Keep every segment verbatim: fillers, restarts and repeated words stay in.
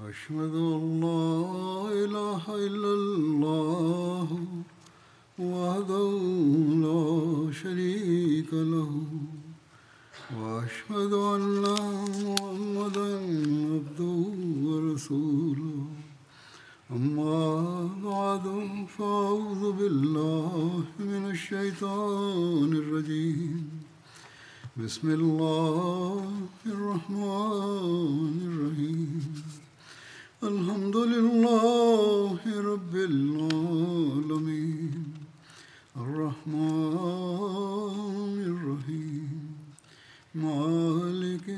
أشهد أن لا إله إلا الله وحده لا شريك له وأشهد أن محمدا عبده ورسوله أما بعد فأعوذ بالله من الشيطان الرجيم بسم الله الرحمن الرحيم الحمد لله رب العالمين الرحمن الرحيم مالك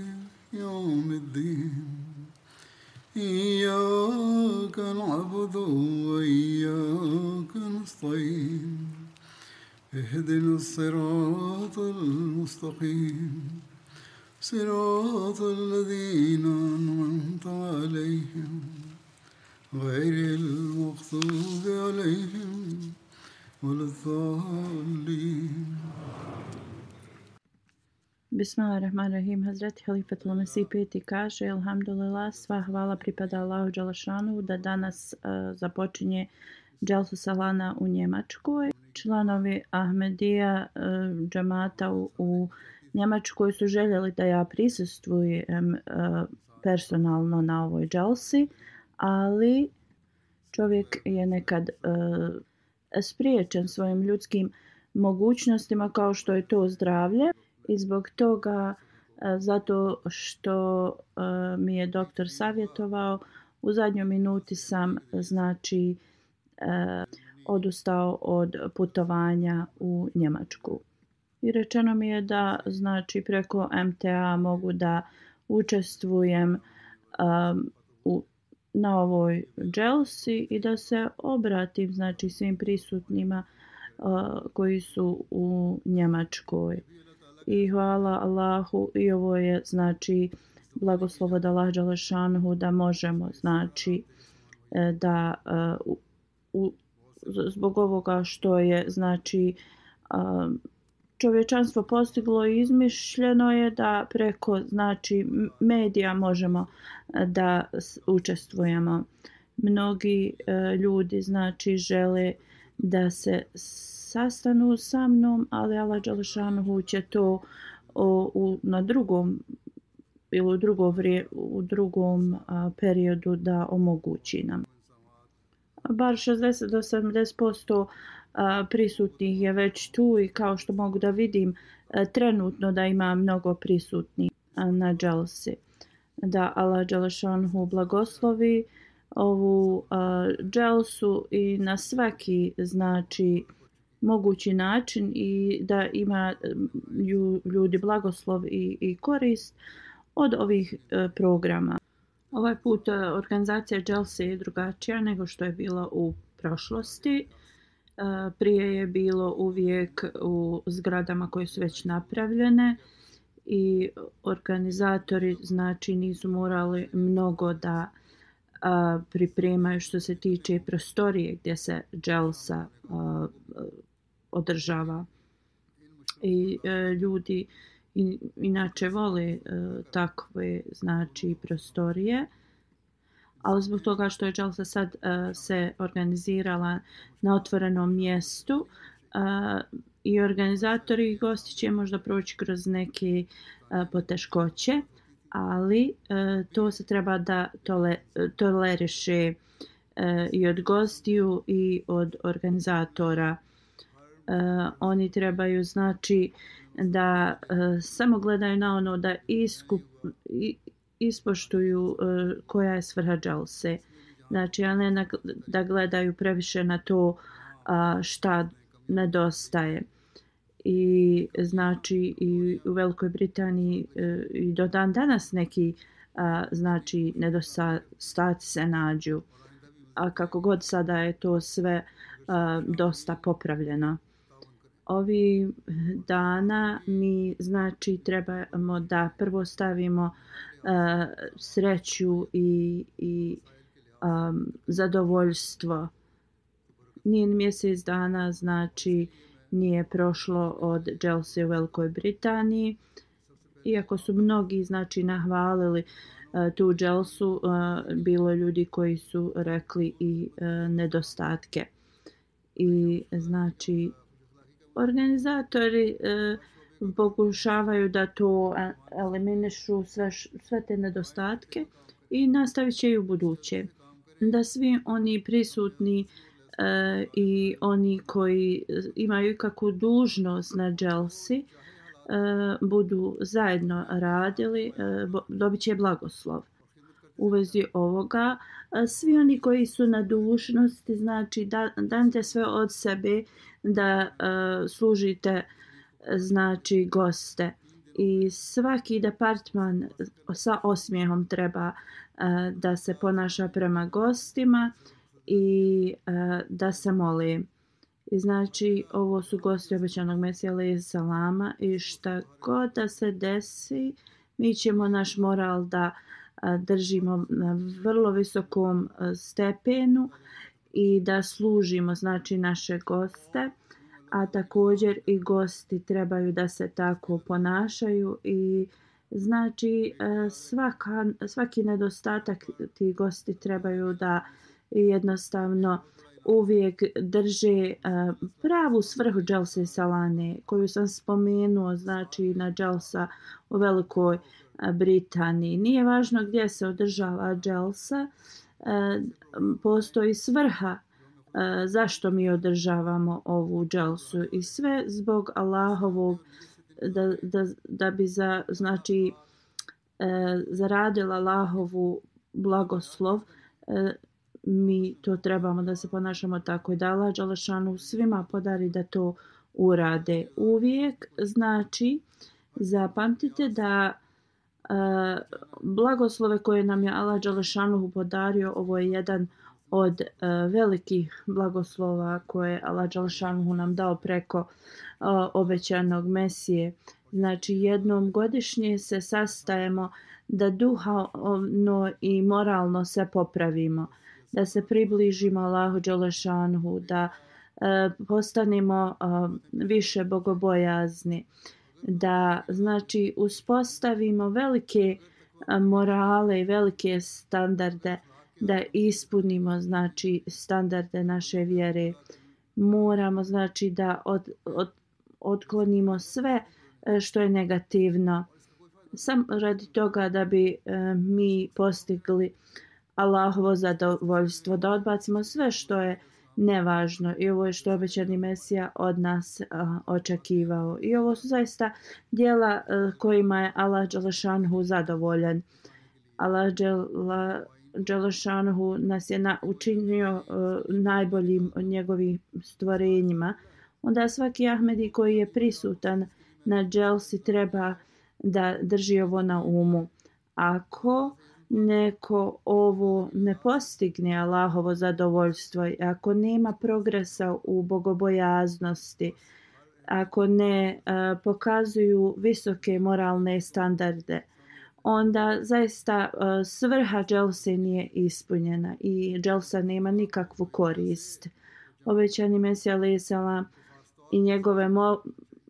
يوم الدين إياك نعبد وإياك نستعين اهدنا الصراط المستقيم صراط الذين أنعمت عليهم غير المغضوب عليهم ولا الضالين. Bismillahirrahmanirrahim. Hazreti Halifatul Mesih peti kaže: Alhamdulillah, sva hvala pripada Allahu Đelešanu da danas uh, započinje Dželsu Salana u Njemačkoj. Članovi Ahmedija uh, džamata u, u Njemačkoj su željeli da ja prisustvujem uh, personalno na ovoj dželsi, ali čovjek je nekad uh, spriječen svojim ljudskim mogućnostima kao što je to zdravlje. I zbog toga, zato što uh, mi je doktor savjetovao, u zadnjoj minuti sam znači uh, odustao od putovanja u Njemačku. I rečeno mi je da znači preko em te a mogu da učestvujem um, u, na ovoj dželsi i da se obratim znači svim prisutnima uh, koji su u Njemačkoj. I hvala Allahu, i ovo je znači blagoslov od Allaha dželešanuhu da možemo znači da uh, u, zbog ovoga što je znači uh, čovječanstvo postiglo i izmišljeno je da preko znači medija možemo da učestvujemo. Mnogi uh, ljudi znači žele da se sastanu sa mnom, ali Allah dželešanuhu će to o, u, na drugom ili u, drugo vrije, u drugom a, periodu da omogući nam. Bar šezdeset do sedamdeset posto a, prisutnih je već tu i kao što mogu da vidim a, trenutno da ima mnogo prisutnih a, na dželsi. Da Allah dželešanuhu blagoslovi ovu uh, dželsu i na svaki znači mogući način i da ima ljudi blagoslov i, i korist od ovih uh, programa. Ovaj put uh, organizacija dželse je drugačija nego što je bila u prošlosti. Uh, prije je bilo uvijek u zgradama koje su već napravljene i organizatori znači nisu morali mnogo da A, pripremaju što se tiče prostorije gdje se dželsa a, održava. I a, ljudi in, inače vole a, takve znači prostorije, ali zbog toga što je dželsa sad a, se organizirala na otvorenom mjestu a, i organizatori i gosti će možda proći kroz neke a, poteškoće, ali e, to se treba da tole, toleriše e, i od gostiju i od organizatora. E, oni trebaju znači da e, samo gledaju na ono da iskup, i, ispoštuju e, koja je svrha dželse. Znači, a ne na, da gledaju previše na to a, šta nedostaje. I znači i u Velikoj Britaniji e, i do dan danas neki a, znači nedostaci se nađu, a kako god sada je to sve a, dosta popravljeno. Ovi dana mi znači trebamo da prvo stavimo a, sreću i, i a, zadovoljstvo. Nije mjesec dana znači nije prošlo od dželse u Velikoj Britaniji, iako su mnogi znači nahvalili tu dželsu bilo je ljudi koji su rekli i nedostatke. I znači organizatori pokušavaju da to eliminišu sve, sve te nedostatke i nastavit će i u buduće. Da svi oni prisutni e, i oni koji imaju ikakvu dužnost na dželsi e, budu zajedno radili, e, dobit će blagoslov. U vezi ovoga, svi oni koji su na dužnosti, znači da, danite sve od sebe da e, služite znači goste. I svaki departman sa osmijehom treba uh, da se ponaša prema gostima i uh, da se moli. I znači ovo su gosti obećanog Mesija alejhi selama i šta god da se desi, mi ćemo naš moral da uh, držimo na vrlo visokom uh, stepenu i da služimo znači naše goste. A također i gosti trebaju da se tako ponašaju i znači svaka, svaki nedostatak ti gosti trebaju da jednostavno uvijek drže pravu svrhu dželse salane koju sam spomenuo, znači na dželsa u Velikoj Britaniji. Nije važno gdje se održava dželsa, postoji svrha zašto mi održavamo ovu dželsu i sve zbog Allahovog da, da, da bi za, znači e, zaradila Allahovu blagoslov, e, mi to trebamo da se ponašamo tako i da Allah dželešanu svima podari da to urade uvijek. Znači zapamtite da e, blagoslove koje nam je Allah dželešanu podario, ovo je jedan od uh, velikih blagoslova koje Allah dželešanu nam dao preko uh, obećanog Mesije. Znači jednom godišnje se sastajemo da duhovno i moralno se popravimo, da se približimo Allahu dželešanu, da uh, postanemo uh, više bogobojazni, da znači uspostavimo velike uh, morale i velike standarde, da ispunimo znači standarde naše vjere. Moramo znači da od, od, otklonimo sve što je negativno sam radi toga da bi e, mi postigli Allahovo zadovoljstvo, da odbacimo sve što je nevažno i ovo je što je obećani Mesija od nas a, očekivao. I ovo su zaista djela a, kojima je Allah dželešanhu zadovoljan. Allah džela Đelešanuhu nas je na, učinio uh, najboljim od njegovih stvorenjima. Onda svaki Ahmedi koji je prisutan na dželsi treba da drži ovo na umu. Ako neko ovo ne postigne Allahovo zadovoljstvo, ako nema progresa u bogobojaznosti, ako ne uh, pokazuju visoke moralne standarde, onda zaista uh, svrha dželse nije ispunjena i dželsa nema nikakvu korist. Obećani Mesija alejhi selam i njegove mol,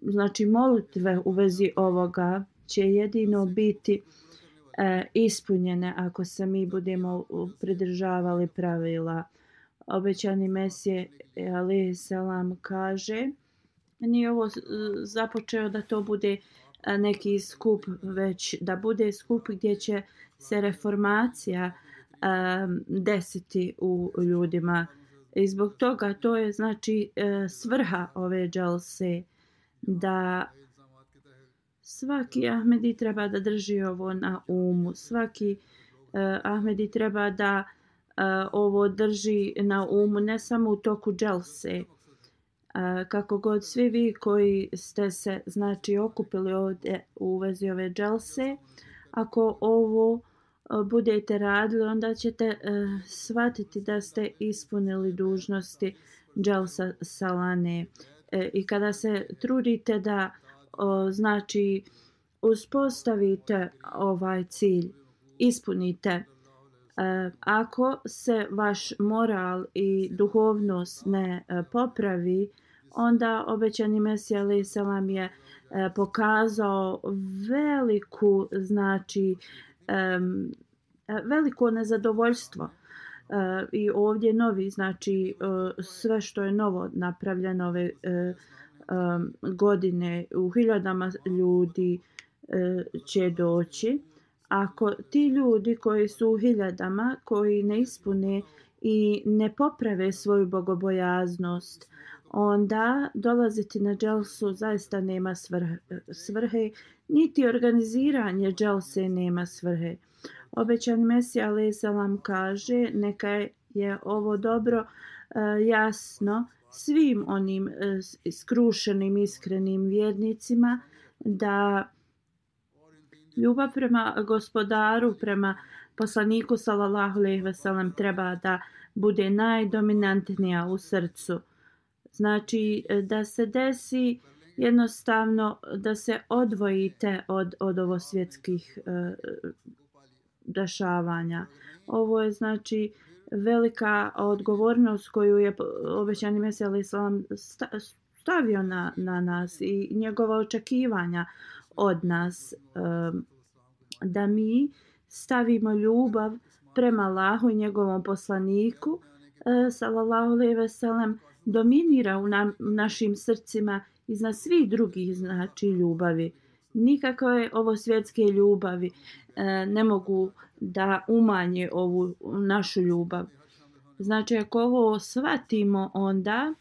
znači molitve u vezi ovoga će jedino biti uh, ispunjene ako se mi budemo pridržavali pravila. Obećani Mesija alejhi selam kaže, nije ovo započeo da to bude neki skup, već da bude skup gdje će se reformacija um, desiti u ljudima. I zbog toga to je znači uh, svrha ove dželse, da svaki Ahmedi treba da drži ovo na umu. Svaki uh, Ahmedi treba da uh, ovo drži na umu ne samo u toku dželse. Uh, kako god svi vi koji ste se znači okupili ovdje u vezi ove dželse, ako ovo uh, budete radili, onda ćete uh, shvatiti da ste ispunili dužnosti dželsa salane. Uh, I kada se trudite da uh, znači uspostavite ovaj cilj, ispunite. Uh, ako se vaš moral i duhovnost ne uh, popravi, onda obećani Mesija alejhi selam je uh, pokazao veliku znači um, veliko nezadovoljstvo. Uh, I ovdje novi, znači uh, sve što je novo napravljeno ove uh, um, godine u hiljadama ljudi uh, će doći. Ako ti ljudi koji su u hiljadama, koji ne ispune i ne poprave svoju bogobojaznost, onda dolaziti na dželsu zaista nema svrhe, svrhe niti organiziranje dželse nema svrhe. Obećani Mesija alejhi selam kaže neka je ovo dobro uh, jasno svim onim uh, skrušenim iskrenim vjernicima da ljubav prema gospodaru, prema poslaniku sallallahu alejhi ve sellem treba da bude najdominantnija u srcu. Znači da se desi jednostavno da se odvojite od, od ovo svjetskih uh, dešavanja. Ovo je znači velika odgovornost koju je obećani Mesija alejhi selam stavio na, na nas i njegova očekivanja od nas um, da mi stavimo ljubav prema Allahu i njegovom poslaniku uh, sallallahu alejhi ve sellem dominira u nam, našim srcima iznad svih drugih znači ljubavi. Nikakve ovo svjetske ljubavi e, ne mogu da umanje ovu našu ljubav. Znači ako ovo shvatimo onda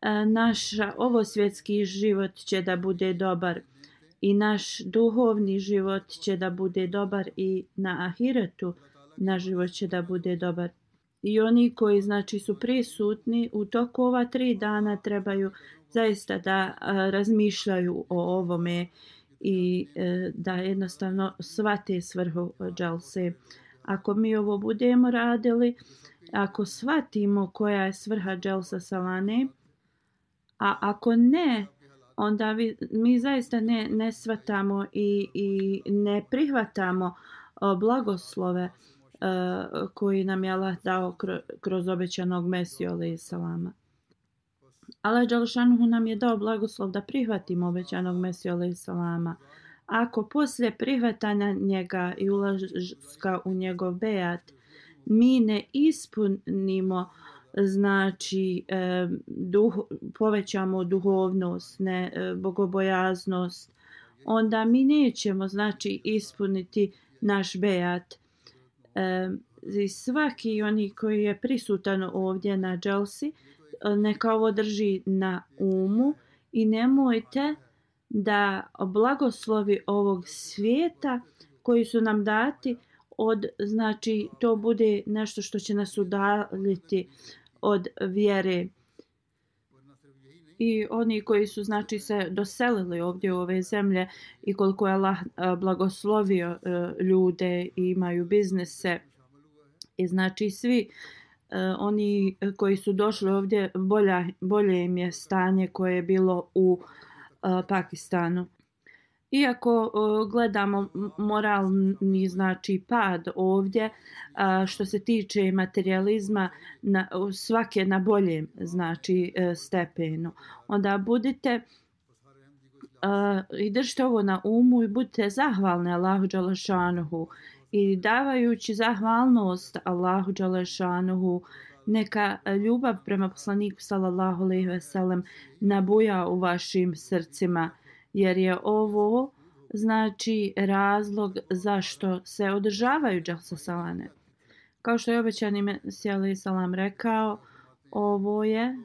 e, naš ovo svjetski život će da bude dobar i naš duhovni život će da bude dobar i na ahiretu naš život će da bude dobar. I oni koji znači su prisutni u toku ova tri dana trebaju zaista da a, razmišljaju o ovome i e, da jednostavno shvate svrhu džalse. Ako mi ovo budemo radili, ako shvatimo koja je svrha dželsa salane, a ako ne, onda vi, mi zaista ne, ne shvatamo i, i ne prihvatamo o, blagoslove Uh, koji nam je Allah dao kroz, kroz obećanog Mesiju alejhi selama. Allah dželešanu nam je dao blagoslov da prihvatimo obećanog Mesiju alejhi selama. Ako poslije prihvatanja njega i ulaska u njegov bejat mi ne ispunimo znači eh, duh, povećamo duhovnost, ne eh, bogobojaznost, onda mi nećemo znači ispuniti naš bejat. I svaki oni koji je prisutan ovdje na dželsi neka ovo drži na umu i nemojte da blagoslovi ovog svijeta koji su nam dati od znači to bude nešto što će nas udaljiti od vjere. I oni koji su znači se doselili ovdje u ove zemlje i koliko je Allah blagoslovio ljude i imaju biznise i znači svi oni koji su došli ovdje bolja, bolje im je stanje koje je bilo u Pakistanu. Iako gledamo moralni znači pad ovdje što se tiče materializma na, svake na boljem znači stepenu, onda budite uh, i držite ovo na umu i budite zahvalni Allahu dželešanuhu i davajući zahvalnost Allahu dželešanuhu neka ljubav prema poslaniku sallallahu alejhi ve sellem nabuja u vašim srcima. Jer je ovo znači razlog zašto se održavaju dželsa salane. Kao što je obećani Mesija alejhi selam rekao, ovo je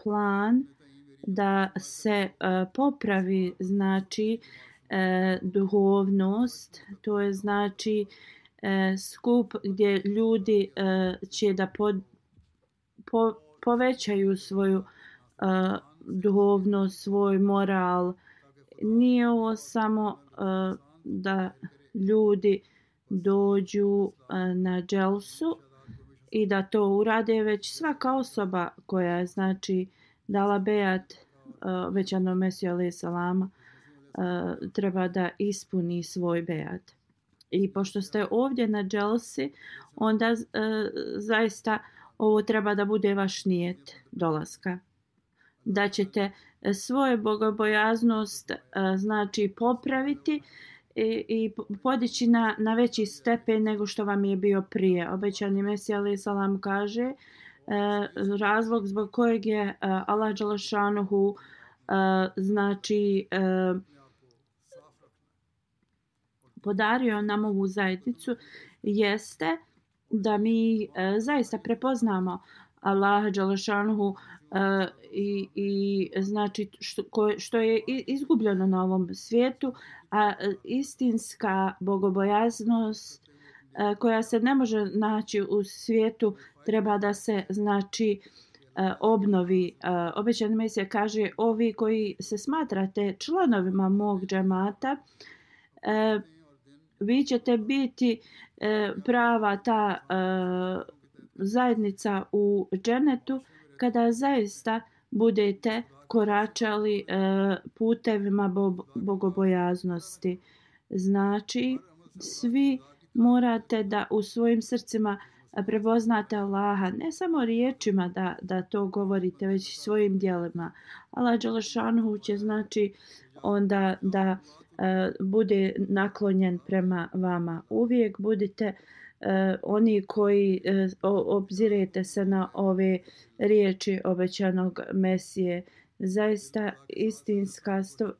plan da se uh, popravi znači uh, duhovnost, to je znači uh, skup gdje ljudi uh, će da pod, po, povećaju svoju uh, duhovnost, svoj moral. Nije ovo samo uh, da ljudi dođu uh, na dželsu i da to urade, već svaka osoba koja je znači dala bejat uh, obećanom Mesiju alejhi selama uh, treba da ispuni svoj bejat. I pošto ste ovdje na dželsi, onda uh, zaista ovo treba da bude vaš nijet dolaska. Da ćete svoju bogobojaznost znači popraviti i, i podići na, na veći stepen nego što vam je bio prije. Obećani Mesija alejhi selam kaže e, razlog zbog kojeg je e, Allah dželešanuhu e, znači e, podario nam ovu zajednicu jeste da mi e, zaista prepoznamo Allaha dželešanuhu uh, i, i znači što, što je izgubljeno na ovom svijetu, a istinska bogobojaznost uh, koja se ne može naći u svijetu treba da se znači uh, obnovi. Uh, Obećani Mesija kaže ovi koji se smatrate članovima mog džemata, uh, vi ćete biti uh, prava ta uh, zajednica u dženetu kada zaista budete koračali e, putevima bo- bogobojaznosti. Znači, svi morate da u svojim srcima prepoznate Allaha, ne samo riječima da, da to govorite, već i svojim djelima. Allah dželešanuhu će znači onda da e, bude naklonjen prema vama. Uvijek budite Uh, oni koji uh, obzirete se na ove riječi obećanog Mesije. Zaista istinska sto,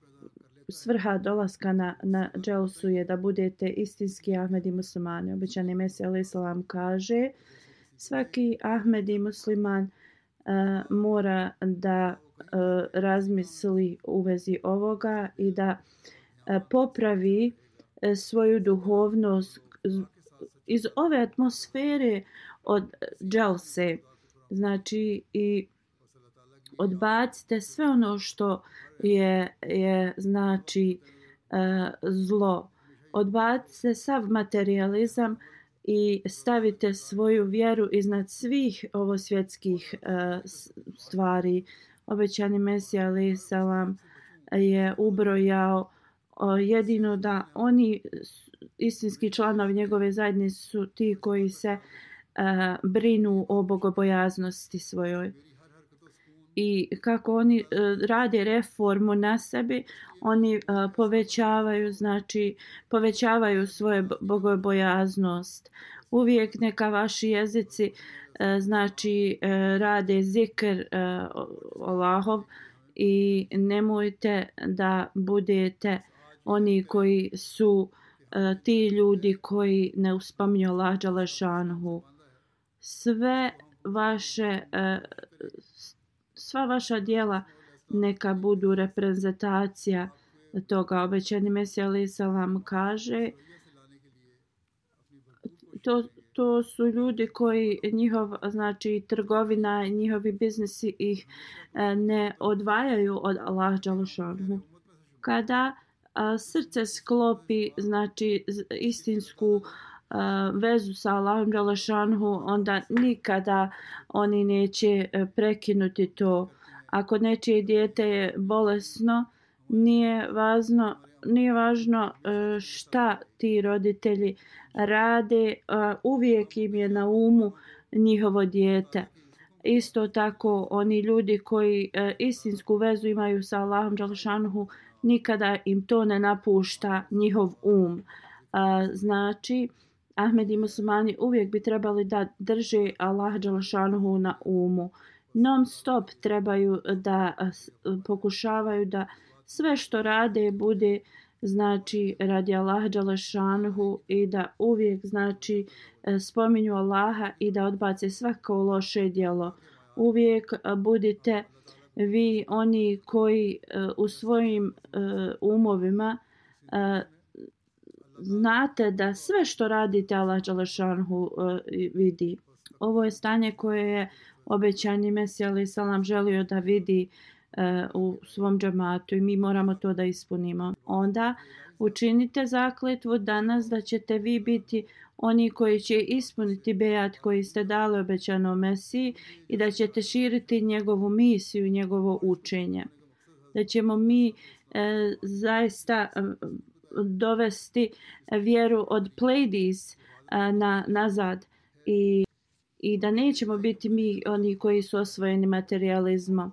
svrha dolaska na, na dželsu je da budete istinski Ahmedi muslimani. Obećani Mesija alejhi selam kaže svaki Ahmedi musliman uh, mora da uh, razmisli u vezi ovoga i da uh, popravi uh, svoju duhovnost iz ove atmosfere od dželse. Znači i odbacite sve ono što je, je znači uh, zlo. Odbacite sav materializam i stavite svoju vjeru iznad svih ovosvjetskih uh, stvari. Obećani Mesija alejhi selam je ubrojao uh, jedino da oni istinski članovi njegove zajednice su ti koji se uh, brinu o bogobojaznosti svojoj. I kako oni uh, rade reformu na sebi, oni uh, povećavaju, znači povećavaju svoju bogobojaznost. Uvijek neka vaši jezici uh, znači uh, rade zikr uh, Allahov i nemojte da budete oni koji su ti ljudi koji ne uspominju Allah dželešanuhu. Sve vaše sva vaša djela neka budu reprezentacija toga. Obećani Mesija alejhi selam kaže to, to su ljudi koji njihov znači trgovina, njihovi biznisi ih ne odvajaju od Allah dželešanuhu. Kada a, srce sklopi znači istinsku a, vezu sa Allahom dželešanuhu, onda nikada oni neće prekinuti to. Ako nečije dijete je bolesno, nije važno, nije važno šta ti roditelji rade, uvijek im je na umu njihovo dijete. Isto tako oni ljudi koji istinsku vezu imaju sa Allahom dželešanuhu, nikada im to ne napušta njihov um. Znači, Ahmedi muslimani uvijek bi trebali da drže Allah dželešanuhu na umu. Non stop trebaju da pokušavaju da sve što rade bude znači radi Allaha dželešanuhu i da uvijek znači spominju Allaha i da odbace svako loše djelo. Uvijek budite vi oni koji u svojim umovima znate da sve što radite Allah dželešanuhu vidi. Ovo je stanje koje je obećani Mesija alejhi selam želio da vidi u svom džematu i mi moramo to da ispunimo. Onda učinite zakletvu danas da ćete vi biti oni koji će ispuniti bejat koji ste dali obećanom Mesiji i da ćete širiti njegovu misiju i njegovo učenje. Da ćemo mi e, zaista dovesti vjeru od Pleiades na, nazad i, i da nećemo biti mi oni koji su osvojeni materializmom,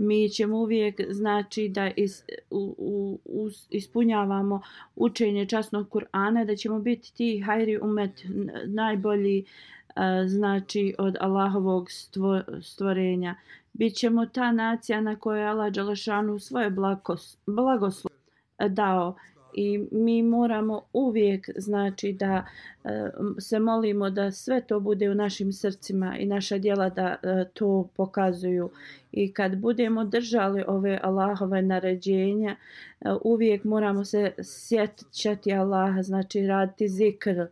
mi ćemo uvijek znači da is, u, u, u, ispunjavamo učenje časnog Kur'ana, da ćemo biti ti hajri umet, najbolji znači od Allahovog stvo, stvorenja. Bićemo ta nacija na kojoj Allah dželešanu svoje blagoslov dao. I mi moramo uvijek znači da e, se molimo da sve to bude u našim srcima i naša djela da e, to pokazuju. I kad budemo držali ove Allahove naređenja, e, uvijek moramo se sjećati Allaha, znači raditi zikr. E,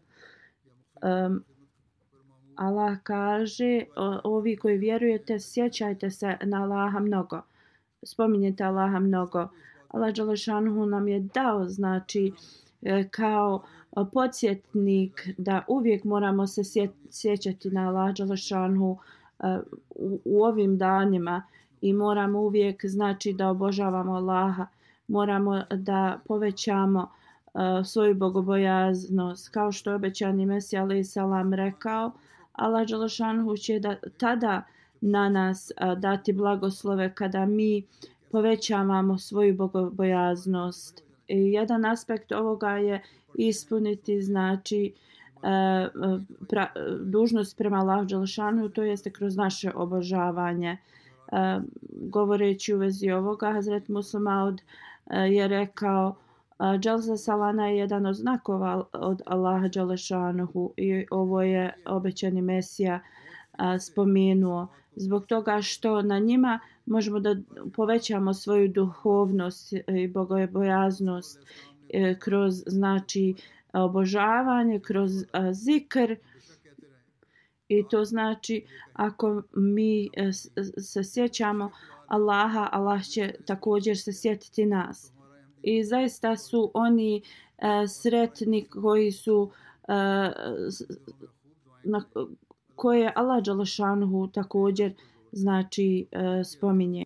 Allah kaže, o, ovi koji vjerujete, sjećajte se na Allaha mnogo. Spominjete Allaha mnogo. Allah dželešanu nam je dao znači kao podsjetnik da uvijek moramo se sjećati na Allah dželešanu u, u ovim danima i moramo uvijek znači da obožavamo Allaha, moramo da povećamo uh, svoju bogobojaznost, kao što je obećani Mesija alejhi selam rekao. Allah dželešanu će da tada na nas uh, dati blagoslove kada mi povećavamo svoju bogobojaznost. I jedan aspekt ovoga je ispuniti znači pra, dužnost prema Allahu dželešanu, to jeste kroz naše obožavanje. Govoreći u vezi ovoga, Hazret Musleh Maud je rekao, Dželsa Salana je jedan od znakova od Allaha dželešanu i ovo je obećani Mesija spomenuo. Zbog toga što na njima možemo da povećamo svoju duhovnost i bogobojaznost kroz znači obožavanje, kroz zikr. I to znači ako mi se sjećamo Allaha, Allah će također se sjetiti nas. I zaista su oni sretni koji su na koje Allah dželešanu također znači e, spominje.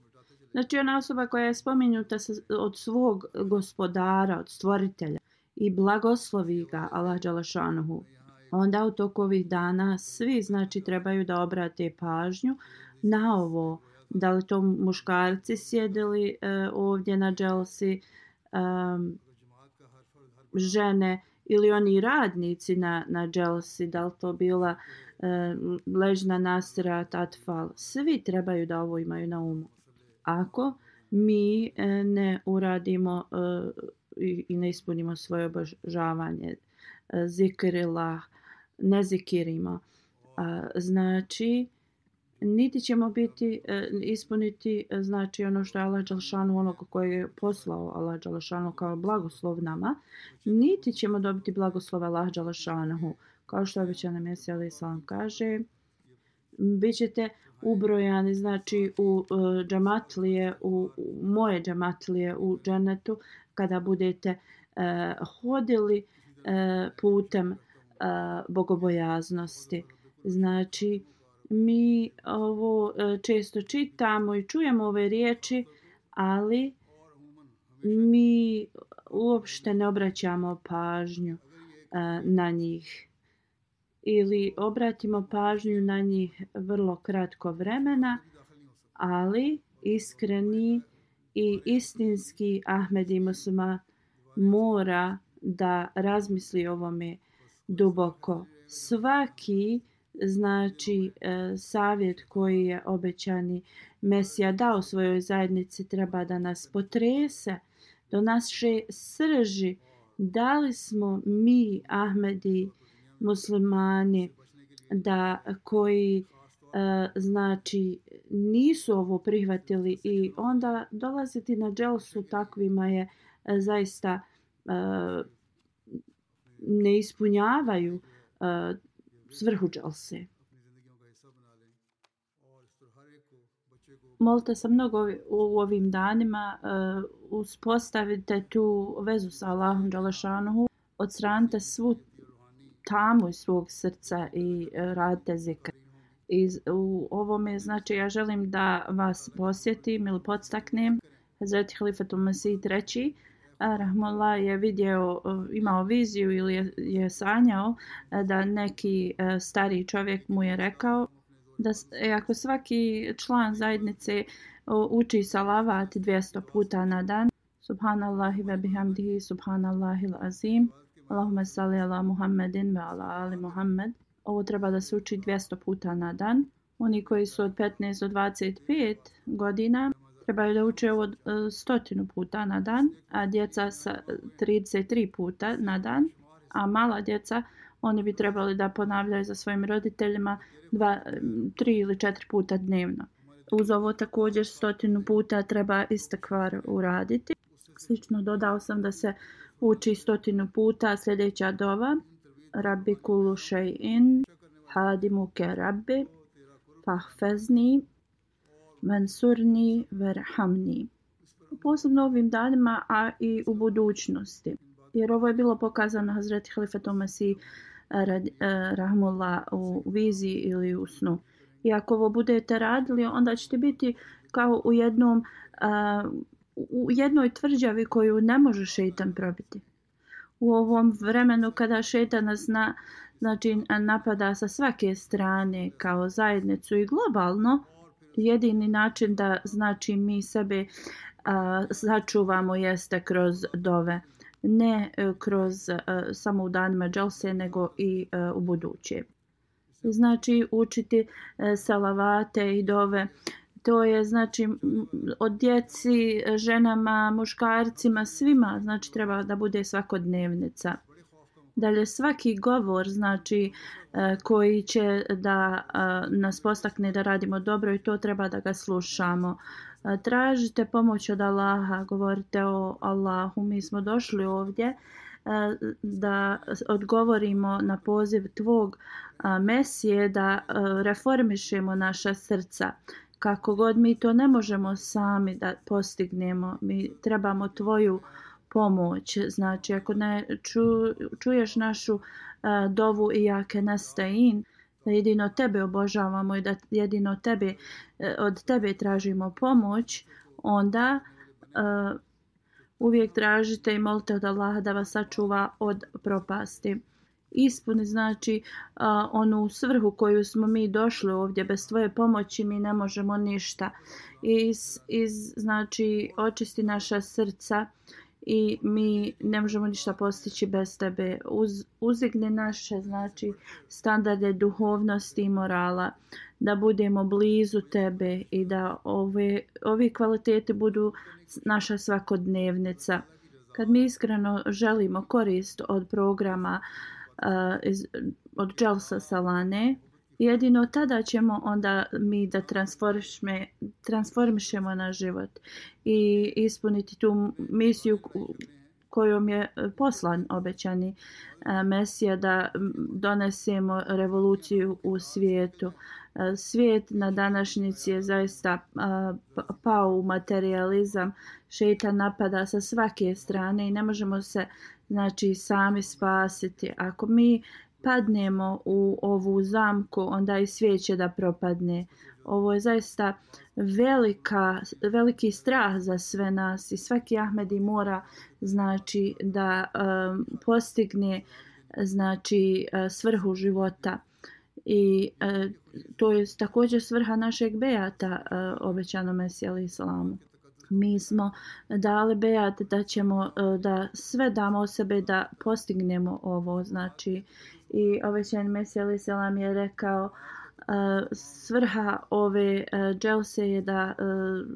Znači ona osoba koja je spomenuta od svog gospodara, od stvoritelja i blagoslovi ga Allah dželešanu, onda u toku ovih dana svi znači trebaju da obrate pažnju na ovo. Da li to muškarci sjedili e, ovdje na dželsi, e, žene ili oni radnici na, na dželsi, da li to bila ležna nasira, tatfal, svi trebaju da ovo imaju na umu. Ako mi ne uradimo i ne ispunimo svoje obožavanje, zikrillah, ne zikirimo, znači niti ćemo biti ispuniti znači ono što je Allah dželešanu, onog koji je poslao Allah dželešanu kao blagoslov nama, niti ćemo dobiti blagoslov Allah dželešanu. Kao što obećani Mesija alejhi selam kaže, bit ćete ubrojani znači u uh, džamatlije, u, u moje džamatlije u džennetu kada budete uh, hodili uh, putem uh, bogobojaznosti. Znači mi ovo uh, često čitamo i čujemo ove riječi, ali mi uopšte ne obraćamo pažnju uh, na njih. Ili obratimo pažnju na njih vrlo kratko vremena, ali iskreni i istinski Ahmedi Muslima mora da razmisli o ovome duboko. Svaki znači savjet koji je obećani Mesija dao svojoj zajednici treba da nas potrese do naše srži. Da li smo mi Ahmedi muslimani da koji e, znači nisu ovo prihvatili i onda dolaziti na dželsu takvima je e, zaista e, ne ispunjavaju e, svrhu dželse. Molite se mnogo u ovim danima, e, uspostavite tu vezu sa Allahom dželešanuhu, odstranite svu tamu iz svog srca i radite zikr. I u ovome znači ja želim da vas posjetim ili podstaknem. Hazreti Halifatul Mesih treći rahmullah je vidio, imao viziju ili je, je sanjao da neki stari čovjek mu je rekao da e, ako svaki član zajednice o, uči salavat dvjesto puta na dan, subhanallahi ve bihamdihi, subhanallahil azim, Allahumma salli ala Muhammedin ve ala ali Muhammed. Ovo treba da se uči dvjesto puta na dan. Oni koji su od petnaest do dvadeset pet godina trebaju da uče ovo stotinu puta na dan, a djeca sa trideset tri puta na dan, a mala djeca oni bi trebali da ponavljaju za svojim roditeljima dva, tri ili četiri puta dnevno. Uz ovo također stotinu puta treba istekvar uraditi. Slično dodao sam da se uči stotinu puta sljedeća dova. Rabbi kullu shay'in hadimuke rabbi fahfezni vensurni verhamni. Posebno ovim danima, a i u budućnosti. Jer ovo je bilo pokazano Hazreti Halifetu Mesih rahmullah u viziji ili u snu. I ako ovo budete radili, onda ćete biti kao u jednom uh, u jednoj tvrđavi koju ne može šejtan probiti. U ovom vremenu kada šejtan nas na, znači, napada sa svake strane kao zajednicu i globalno, jedini način da znači mi sebe uh, sačuvamo jeste kroz dove. Ne uh, kroz uh, samo u danima dželse, nego i uh, u buduće. Znači učiti uh, salavate i dove. To je znači od djeci, ženama, muškarcima, svima, znači treba da bude svakodnevnica. Dalje svaki govor znači koji će da nas postakne da radimo dobro i to treba da ga slušamo. Tražite pomoć od Allaha, govorite o Allahu, mi smo došli ovdje da odgovorimo na poziv tvog Mesije, da reformišemo naša srca. Kako god mi to ne možemo sami da postignemo, mi trebamo tvoju pomoć. Znači, ako ne ču, čuješ našu uh, dovu i jake nastain, da jedino tebe obožavamo i da jedino tebe, uh, od tebe tražimo pomoć, onda uh, uvijek tražite i molite od Allaha da vas sačuva od propasti. Ispuni znači uh, onu svrhu koju smo mi došli ovdje. Bez tvoje pomoći mi ne možemo ništa. Iz, iz, znači očisti naša srca i mi ne možemo ništa postići bez tebe. Uz, uzigni naše znači standarde duhovnosti i morala, da budemo blizu tebe i da ove, ovi kvaliteti budu naša svakodnevnica. Kad mi iskreno želimo korist od programa Uh, iz, od Dželsa Salane, jedino tada ćemo onda mi da transformišme, transformišemo naš život i ispuniti tu misiju kojom je poslan obećani uh, Mesija, da donesemo revoluciju u svijetu. Uh, svijet na današnjici je zaista uh, pao u materializam, šejtan napada sa svake strane i ne možemo se znači sami spasiti. Ako mi padnemo u ovu zamku, onda i svijet će da propadne. Ovo je zaista velika, veliki strah za sve nas i svaki Ahmedi mora znači da um, postigne znači svrhu života. I uh, to je također svrha našeg bejata uh, obećanom Mesiji alejhi selamu. Mi smo dali bejat da ćemo da sve damo o sebe da postignemo ovo, znači i obećani Mesija alejhi selam je rekao uh, svrha ove uh, dželse je da uh,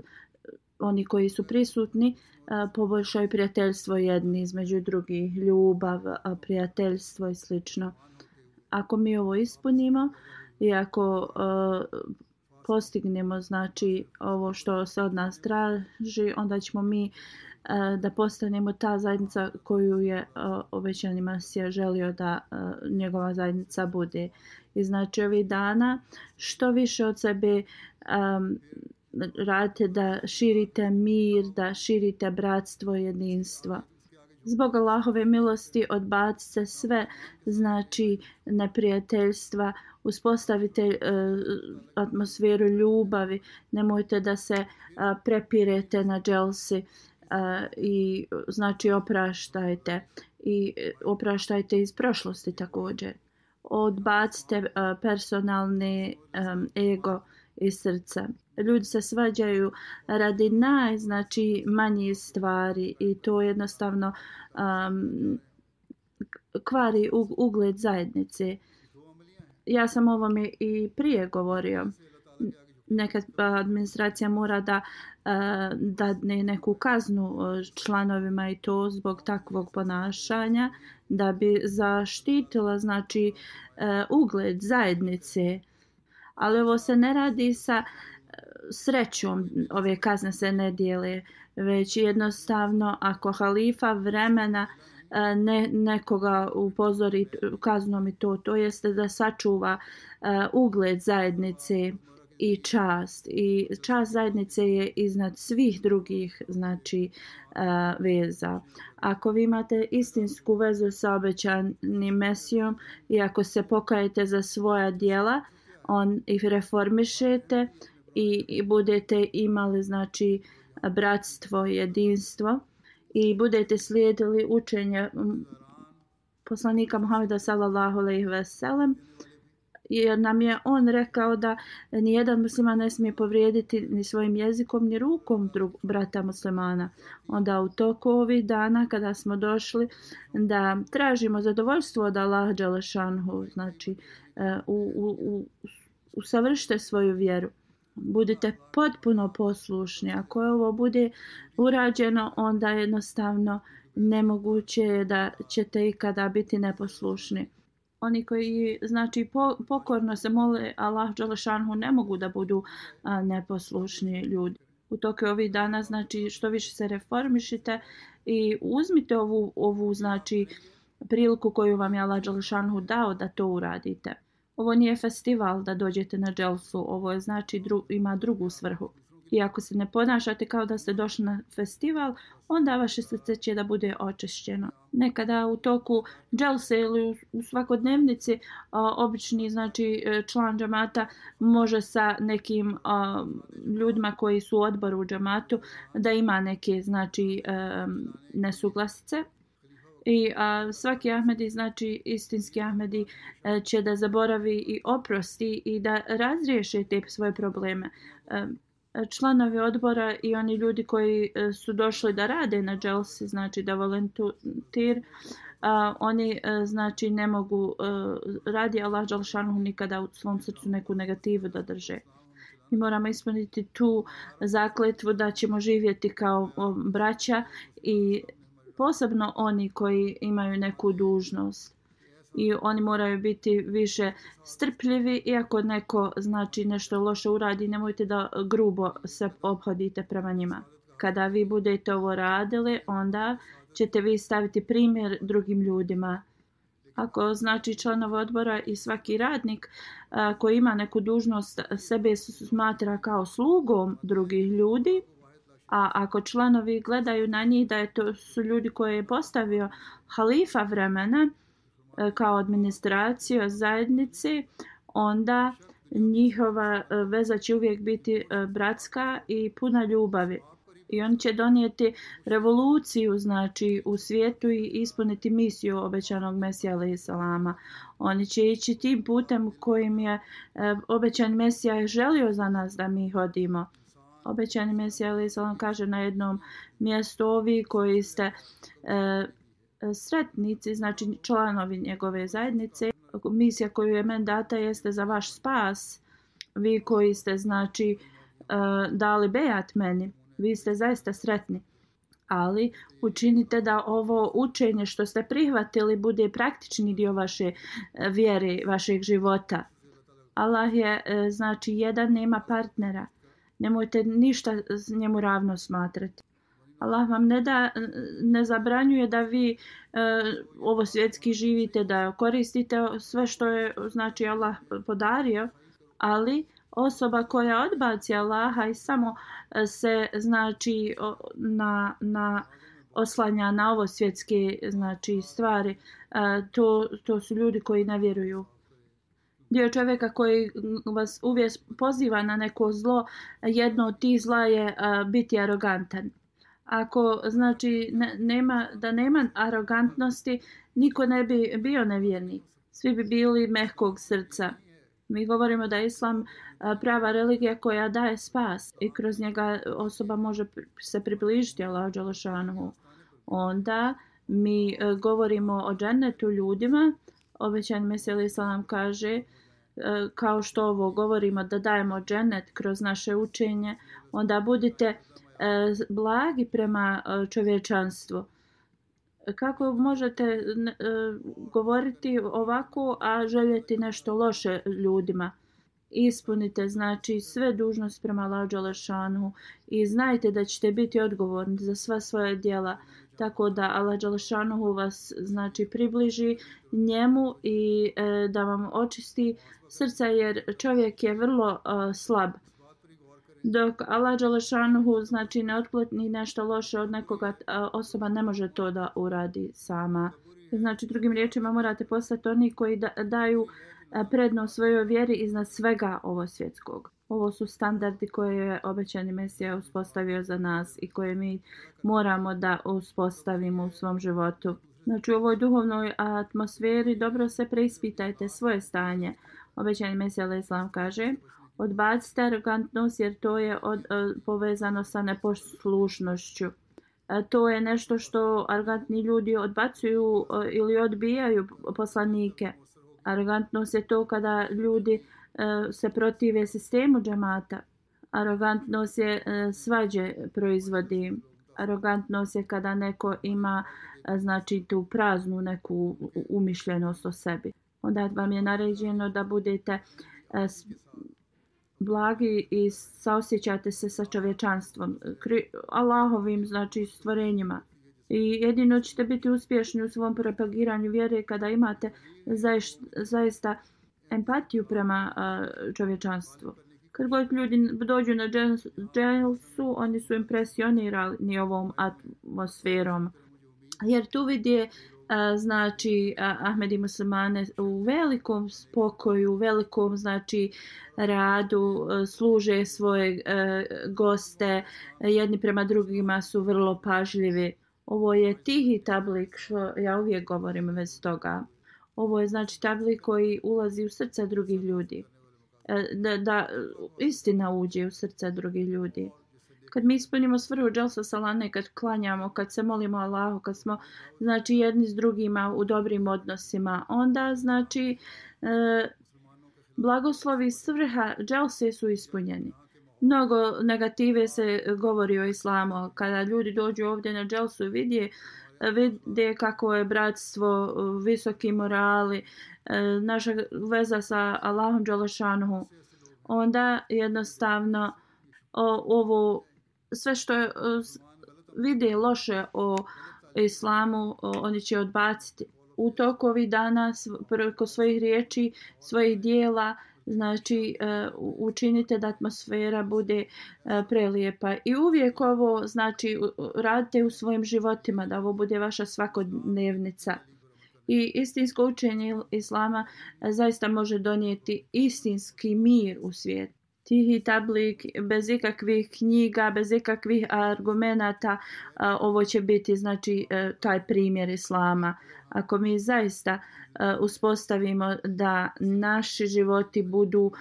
oni koji su prisutni uh, poboljšaju prijateljstvo jedni između drugih, ljubav, uh, prijateljstvo i slično. Ako mi ovo ispunimo i ako uh, postignemo znači ovo što se od nas traži, onda ćemo mi uh, da postanemo ta zajednica koju je uh, obećani Mesija želio da uh, njegova zajednica bude. I znači ovih dana što više od sebe um, radite da širite mir, da širite bratstvo i jedinstvo. Zbog Allahove milosti odbacite sve znači neprijateljstva, uspostavite uh, atmosferu ljubavi, nemojte da se uh, prepirete na dželsi uh, i znači opraštajte i opraštajte iz prošlosti također. odbacite uh, personalni um, ego iz srca. Ljudi se svađaju radi naj, znači manjih stvari i to jednostavno um, kvari ugled zajednice. Ja sam o ovome i prije govorio. Nekad administracija mora da dadne neku kaznu članovima i to zbog takvog ponašanja da bi zaštitila znači ugled zajednice. Ali ovo se ne radi sa srećom, ove kazne se ne dijele, već jednostavno ako halifa vremena ne, nekoga upozori kaznom i to, to jeste da sačuva uh, ugled zajednice i čast. I čast zajednice je iznad svih drugih znači uh, veza. Ako vi imate istinsku vezu sa obećanim Mesijom i ako se pokajete za svoja djela, on ih reformišete i, i budete imali znači bratstvo, jedinstvo i budete slijedili učenje poslanika Muhameda sallallahu alejhi ve sellem, jer nam je on rekao da nijedan musliman ne smije povrijediti ni svojim jezikom ni rukom drug, brata muslimana. Onda u toku ovih dana kada smo došli da tražimo zadovoljstvo od Allaha dželle šanhu, znači u, u, u, usavršite svoju vjeru. Budite potpuno poslušni. Ako ovo bude urađeno, onda jednostavno nemoguće je da ćete ikada biti neposlušni. Oni koji znači pokorno se mole Allah dželle šanhu ne mogu da budu a, neposlušni ljudi. U toku ovih dana znači što više se reformišite i uzmite ovu, ovu znači priliku koju vam je Allah dželle šanhu dao da to uradite. Ovo nije festival da dođete na dželsu, ovo je znači dru, ima drugu svrhu. I ako se ne ponašate kao da ste došli na festival, onda vaše srce će da bude očišćeno. Nekada u toku dželse ili u, u svakodnevnici a, obični znači član džamata može sa nekim a, ljudima koji su u odboru u džamatu da ima neke znači a, nesuglasice. I a, svaki Ahmedi, znači istinski Ahmedi, a, će da zaboravi i oprosti i da razriješe te svoje probleme. A, članovi odbora i oni ljudi koji a, su došli da rade na dželsi, znači da volontir, a, oni a, znači ne mogu a, radi Allah dželle šanuhu nikada u svom srcu neku negativu da drže. Mi moramo ispuniti tu zakletvu da ćemo živjeti kao o, braća i posebno oni koji imaju neku dužnost i oni moraju biti više strpljivi i ako neko znači nešto loše uradi, nemojte da grubo se ophodite prema njima. Kada vi budete ovo radili, onda ćete vi staviti primjer drugim ljudima. Ako znači članov odbora i svaki radnik a, koji ima neku dužnost sebe smatra kao slugom drugih ljudi, a ako članovi gledaju na njih da je to su ljudi koje je postavio halifa vremena kao administracija zajednice, onda njihova veza će uvijek biti bratska i puna ljubavi. I on će donijeti revoluciju znači u svijetu i ispuniti misiju obećanog Mesija alejhi selama. Oni će ići tim putem kojim je obećan Mesija želio za nas da mi hodimo. Obećani Mesija alejhi selam kaže na jednom mjestu: ovi koji ste e, sretnici, znači članovi njegove zajednice, misija koju je men data jeste za vaš spas. Vi koji ste znači e, dali bejat meni, vi ste zaista sretni. Ali učinite da ovo učenje što ste prihvatili bude praktični dio vaše vjere, vašeg života. Allah je e, znači jedan, nema partnera. Nemojte ništa njemu ravno smatrati. Allah vam ne da, ne zabranjuje da vi e, ovo svjetski živite, da koristite sve što je znači Allah podario, ali osoba koja odbaci Allaha i samo se znači na, na oslanja na ovo svjetske znači stvari, e, to, to su ljudi koji ne vjeruju. Dio čovjeka koji vas uvijek poziva na neko zlo, jedno od tih zla je uh, biti arogantan. Ako znači ne, nema, da nema arogantnosti, niko ne bi bio nevjernik. svi bi bili mehkog srca. Mi govorimo da je Islam prava religija koja daje spas i kroz njega osoba može se približiti Allahu dželešanu. Onda mi govorimo o džennetu ljudima. Obećani Mesija alejhi selam kaže, kao što ovo govorimo da dajemo džennet kroz naše učenje, onda budite blagi prema čovječanstvu. Kako možete govoriti ovako, a željeti nešto loše ljudima? Ispunite znači sve dužnosti prema Allahu dželešanu i znajte da ćete biti odgovorni za sva svoja djela, tako da Allah dželešanu vas znači približi njemu i e, da vam očisti srca, jer čovjek je vrlo uh, slab. Dok Allah dželešanu znači ne otkloni nešto loše od nekoga, osoba ne može to da uradi sama. Znači drugim riječima morate postati oni koji da, daju prednost svojoj vjeri iznad svega ovo svjetskog. Ovo su standardi koje je obećani Mesija uspostavio za nas i koje mi moramo da uspostavimo u svom životu. Znači u ovoj duhovnoj atmosferi dobro se preispitajte svoje stanje. Obećani Mesija alejhi selam kaže: odbacite arogantnost jer to je od, uh, povezano sa neposlušnošću. Uh, to je nešto što arogantni ljudi odbacuju uh, ili odbijaju poslanike. Arogantnost je to kada ljudi uh, se protive sistemu džemata. Arogantnost je uh, svađe proizvodi. Arogantnost je kada neko ima uh, znači tu praznu neku umišljenost o sebi. Onda vam je naređeno da budete uh, blagi i saosjećate se sa čovječanstvom, Allahovim znači stvorenjima. I jedino ćete biti uspješni u svom propagiranju vjere kada imate zaista, zaista empatiju prema uh, čovječanstvu. Kad god ljudi dođu na dželsu, oni su impresionirani ovom atmosferom. Jer tu vidje znači Ahmedi muslimane u velikom spokoju, u velikom znači radu, služe svoje goste, jedni prema drugima su vrlo pažljivi. Ovo je tihi tablik, što ja uvijek govorim bez toga. Ovo je znači tablik koji ulazi u srca drugih ljudi. Da, da istina uđe u srca drugih ljudi. Kad mi ispunimo svrhu dželsa salane, kad klanjamo, kad se molimo Allahu, kad smo znači jedni s drugima u dobrim odnosima, onda znači e, blagoslovi svrha dželse su ispunjeni. Mnogo negative se govori o islamu. Kada ljudi dođu ovdje na dželsu i vidje, vide kako je bratstvo, visoki morali, e, naša veza sa Allahom dželešanuhu, onda jednostavno o, ovo sve što je, vide loše o islamu, oni će odbaciti. U toku ovih dana preko svojih riječi, svojih dijela, znači učinite da atmosfera bude prelijepa. I uvijek ovo znači radite u svojim životima, da ovo bude vaša svakodnevnica. I istinsko učenje islama zaista može donijeti istinski mir u svijetu. Tihi tablik, bez ikakvih knjiga, bez ikakvih argumenata, ovo će biti znači taj primjer islama. Ako mi zaista uspostavimo da naši životi budu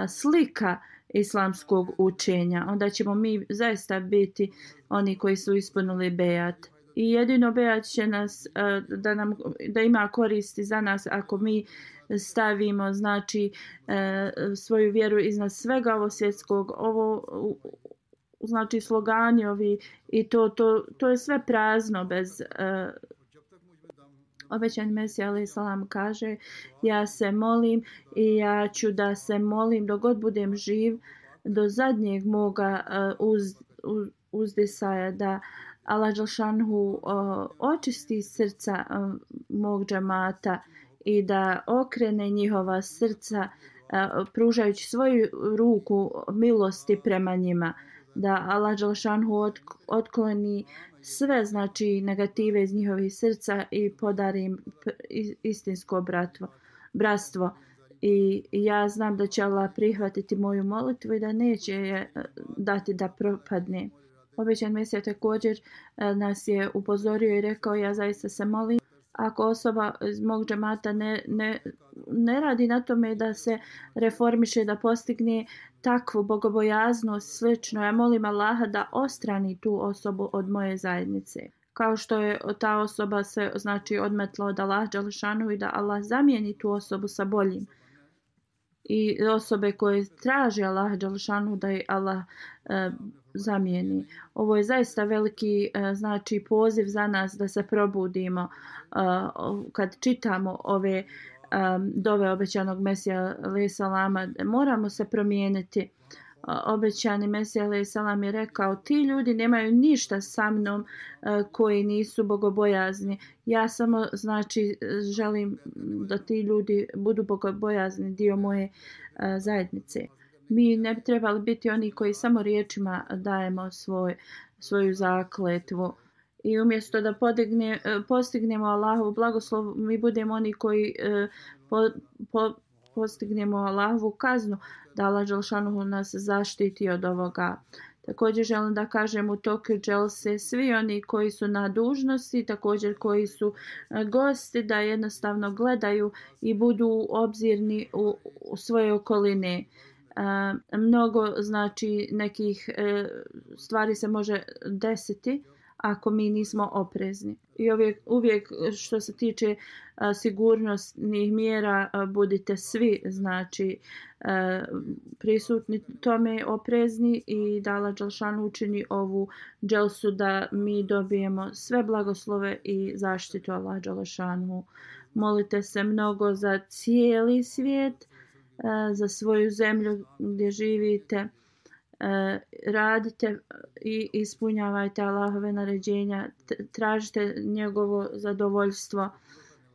slika islamskog učenja, onda ćemo mi zaista biti oni koji su ispunili bejat. I jedino bejat će nas da, nam, da ima koristi za nas ako mi stavimo znači e, svoju vjeru iznad svega ovo svjetskog, ovo znači slogani ovi i to, to, to je sve prazno bez e, obećani Mesija alejhi selam kaže: ja se molim i ja ću da se molim dok god budem živ do zadnjeg moga uh, uz, uz, uzdisaja, da Allah dželšanhu uh, očisti srca uh, mog džamata i da okrene njihova srca uh, pružajući svoju ruku milosti prema njima, da Allah dželšanhu otkloni sve znači negative iz njihovih srca i podari im istinsko bratvo, bratstvo. I ja znam da će Allah prihvatiti moju molitvu i da neće je dati da propadne. Obećan Mesija također nas je upozorio i rekao: ja zaista se molim ako osoba iz mog džemata ne, ne, ne radi na tome da se reformiše, da postigne takvu bogobojaznost slično, ja molim Allaha da ostrani tu osobu od moje zajednice. Kao što je ta osoba se znači odmetla od Allaha dželešanu i da Allah zamijeni tu osobu sa boljim. I osobe koje traže Allaha dželešanu da je Allah e, zamijeni. Ovo je zaista veliki e, znači poziv za nas da se probudimo e, kad čitamo ove um, dove obećanog Mesija alejhi selama. Moramo se promijeniti. Obećani Mesija alejhi selam je rekao: ti ljudi nemaju ništa sa mnom uh, koji nisu bogobojazni. Ja samo znači želim da ti ljudi budu bogobojazni, dio moje uh, zajednice. Mi ne bi trebali biti oni koji samo riječima dajemo svoj, svoju zakletvu. I umjesto da podigne, postignemo Allahovu blagoslov, mi budemo oni koji uh, po, po, postignemo Allahovu kaznu, da Allah dželešanu nas zaštiti od ovoga. Također želim da kažem u toku dželse svi oni koji su na dužnosti, također koji su gosti, da jednostavno gledaju i budu obzirni u, u svoje okoline. E, mnogo znači nekih e, stvari se može desiti ako mi nismo oprezni. I uvijek, uvijek što se tiče a, sigurnosnih mjera a, budite svi znači a, prisutni tome, oprezni i da Allah dželešanu učini ovu dželsu da mi dobijemo sve blagoslove i zaštitu Allah dželešanu. Molite se mnogo za cijeli svijet, a, za svoju zemlju gdje živite. E, radite i ispunjavajte Allahove naređenja, tražite njegovo zadovoljstvo,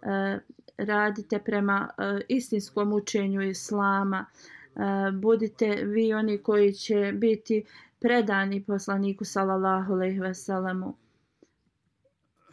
e, radite prema e, istinskom učenju Islama, e, budite vi oni koji će biti predani poslaniku sallallahu alejhi ve sellemu.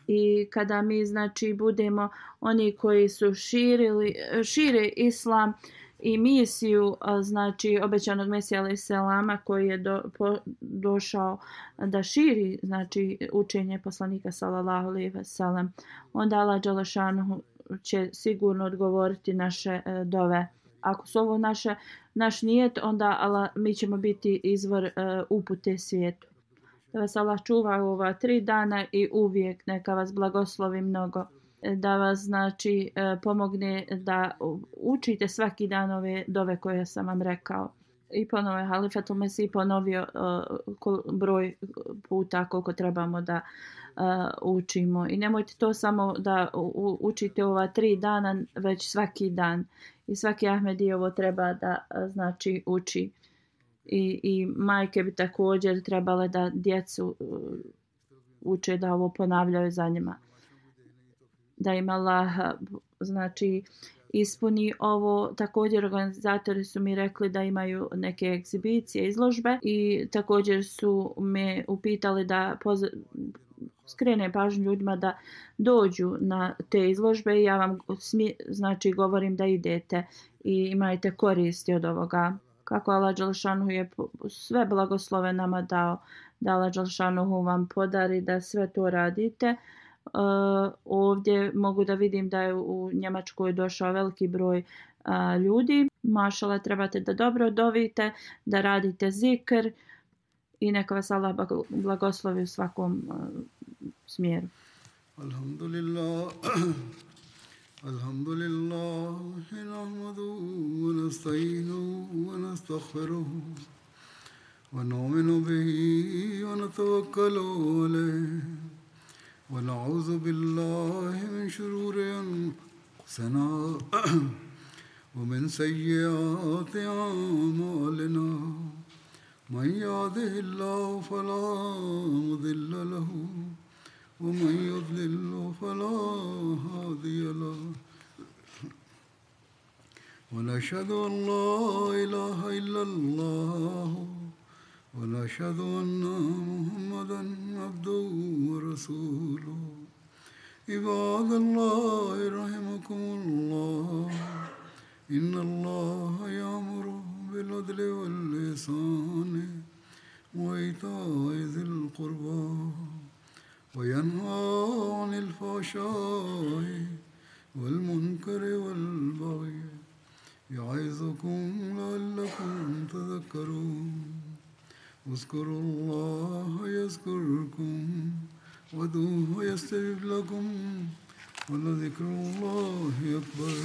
I kada mi znači budemo oni koji su širili, šire islam i misiju znači obećanog Mesija alejhi selama koji je do, po, došao da širi znači učenje poslanika sallallahu alejhi ve sellem, onda Allah dželešanu će sigurno odgovoriti naše e, dove. Ako su ovo naše, naš nijet, onda Allah, mi ćemo biti izvor e, upute svijetu. Da vas Allah čuva u ova tri dana i uvijek neka vas blagoslovi mnogo. Da vas znači pomogne da učite svaki dan ove dove koje sam vam rekao. I ponovo je Halifatul Mesih ponovio uh, broj puta koliko trebamo da uh, učimo. I nemojte to samo da u, učite ova tri dana, već svaki dan. I svaki Ahmedi ovo treba da uh, znači uči. I, I majke bi također trebale da djecu uh, uče da ovo ponavljaju za njima. Da im Allah znači ispuni ovo. Također organizatori su mi rekli da imaju neke egzibicije, izložbe i također su me upitali da poz- skrene pažnju ljudima da dođu na te izložbe i ja vam smi- znači govorim da idete i imajte koristi od ovoga. Kako Allah dželešanu je sve blagoslove nama dao, da Allah dželešanu vam podari da sve to radite. Uh, ovdje mogu da vidim da je u Njemačkoj došao veliki broj uh, ljudi. Mašala, trebate da dobro dovite, da radite zikr i neka vas Allah blagoslovi u svakom uh, smjeru. Alhamdulillah. Alhamdulillah. Nahmaduhu wa nasta'inuhu wa nastaghfiruhu wa nu'minu bihi wa natawakkalu alayhi. ونعوذ بالله من شرور أنفسنا ومن سيئات أعمالنا من يهده الله فلا مضل له ومن يضلل فلا هادي له ونشهد أن لا إله إلا الله ونشهد أن محمدا عبده ورسوله عباد الله رحمكم الله إن الله يأمر بالعدل والإحسان وإيتاء ذي القربى وينهى عن الفحشاء والمنكر والبغي يعظكم لعلكم تذكرون اذكروا الله يذكركم وادعوه يستجب لكم ولذكر الله أكبر